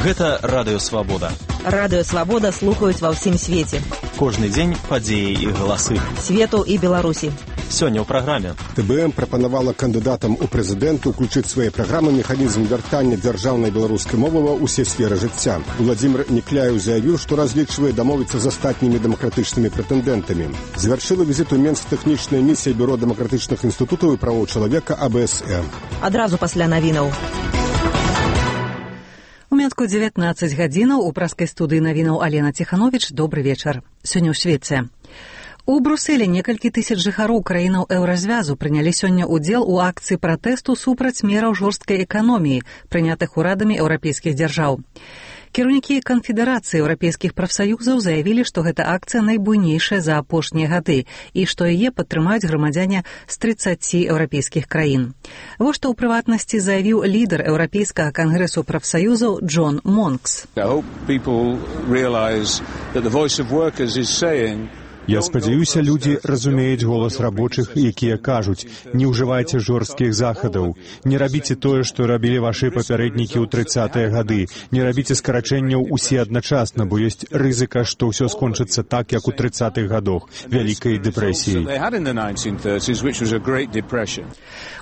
Гэта Радыё Свабода. Радыё Свабода слухаюць ва ўсім свеце. Кожны дзень падзеі і галасы. Свету і Беларусі. Сёння ў праграме. ТБМ прапанавала кандыдатам у прэзідэнты ўключыць свае праграмы механізм вяртання дзяржаўнай беларускай мовы ва ўсе сферы жыцця. Уладзімир Некляеў заявіў, што разлічвае дамовіцца з астатнімі дэмакратычнымі прэтэндэнтамі. Завяршыла візіт у Менск тэхнічная місія Бюро дэмакратычных інстытутаў і правоў чалавека АБСМ. Адразу пасля навінаў. У Менску 19 гадзінаў у праскай студыі навінаў Алена Ціхановіч. Добры вечар. Сёння ў свеце. У Брусэлі некалькі тысяч жыхароў краінаў еўразвязу прынялі сёння ўдзел у акцыі пратэсту супраць мераў жорсткай эканоміі, прынятых урадамі еўрапейскіх дзяржаў. Кіраўнікі канфедэрацыі еўрапейскіх прафсаюзаў заявілі, што гэта акцыя найбуйнейшая за апошнія гады і што яе падтрымаюць грамадзяне з 30 еўрапейскіх краін. Вось што ў прыватнасці заявіў лідар еўрапейскага кангрэсу прафсаюзаў Джон Монкс. Я спадзяюся, людзі разумеюць голас рабочых, якія кажуць: не ўжывайце жорсткіх захадаў, не рабіце тое, што рабілі вашы папярэднікі ў 30-е гады, не рабіце скарачэнняў усе адначасна, бо ёсць рызыка, што ўсё скончыцца так, як у 30-х гадах, вялікай дэпрэсіяй.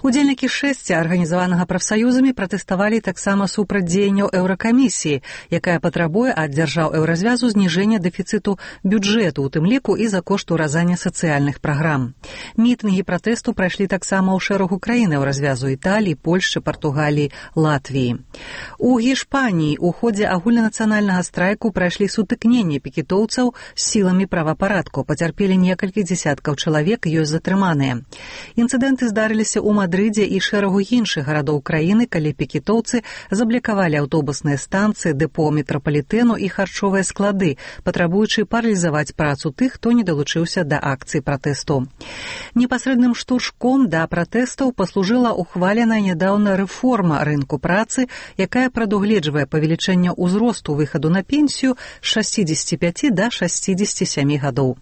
Удзельнікі шэсця, арганізаванага прафсаюзамі, пратэставалі таксама супраць дзеянняў еўракамісіі, якая патрабуе ад дзяржаў еўразвязу зніжэння дэфіцыту бюджэту, у тым ліку і за кошт уразання сацыяльных праграм. Мітынгі пратэсту прайшлі таксама ў шэрагу краін еўразвязу: Італіі, Польшчы, Партугаліі, Латвіі. У Гішпаніі ў ходзе агульнанацыянальнага страйку прайшлі сутыкненні пікетоўцаў з сіламі правапарадку. Пацярпелі некалькі дзесяткаў чалавек, ёсць затрыманыя. Інцыдэнты здарыліся ў Мадрыдзе і шэрагу іншых гарадоў краіны, калі пікетоўцы заблакавалі аўтобусныя станцыі, дэпо метрапалітэну і харчовыя склады, патрабуючы паралізаваць працу тых, хто не далучыўся да акцыі пратэсту. Непасрэдным штуршком да пратэстаў паслужыла ухваленая нядаўна рэформа рынку працы, якая прадугледжвае павелічэнне ўзросту выхаду на пенсію з 65 да 67 гадоў.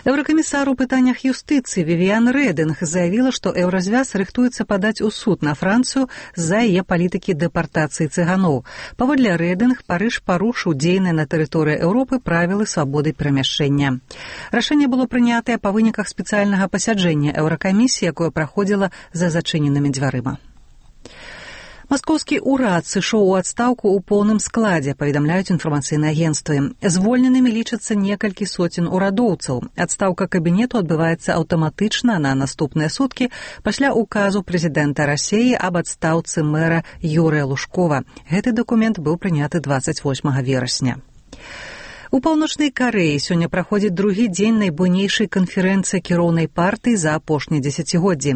Еўракамісар у пытаннях юстыцыі Вівіан Рэдынг заявіла, што еўразвяз рыхтуецца падаць у суд на Францыю з-за яе палітыкі дэпартацыі цыганоў. Паводле Рэдынг, Парыж парушыў дзейныя на тэрыторыі Еўропы правілы свабоды перамяшчэння. Рашэнне было прынятае па выніках спецыяльнага пасяджэння еўракамісіі, якое праходзіла за зачыненымі дзвярыма. Маскоўскі ўрад сышоў у адстаўку ў поўным складзе, паведамляюць інфармацыйныя агенцтвы. Звольненымі лічацца некалькі соцень урадоўцаў. Адстаўка кабінету адбываецца аўтаматычна на наступныя суткі пасля указу прэзідэнта Расіі аб адстаўцы мэра Юрыя Лужкова. Гэты дакумент быў прыняты 28 верасня. У Паўночнай Карэі сёння праходзіць другі дзень найбуйнейшай канферэнцыі кіроўнай партыі за апошнія дзесяцігоддзі.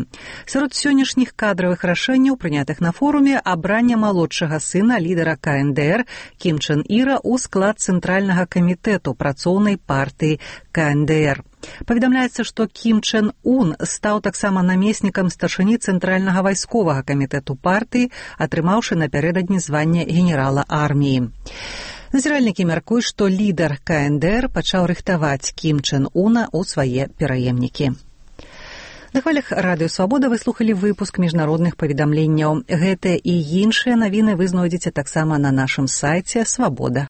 Сярод сённяшніх кадравых рашэнняў, прынятых на форуме, абранне малодшага сына лідара КНДР Кім Чен Іра ў склад цэнтральнага камітэту працоўнай партыі КНДР. Паведамляецца, што Кім Чен Ун стаў таксама намеснікам старшыні цэнтральнага вайсковага камітэту партыі, атрымаўшы напярэдадні званне генерала арміі. Назіральнікі мяркуюць, што лідар КНДР пачаў рыхтаваць Кім Чен Уна ў свае пераемнікі. На хвалях Радыё Свабода вы слухалі выпуск міжнародных паведамленняў. Гэтыя і іншыя навіны вы знойдзеце таксама на нашым сайце свабода.орг.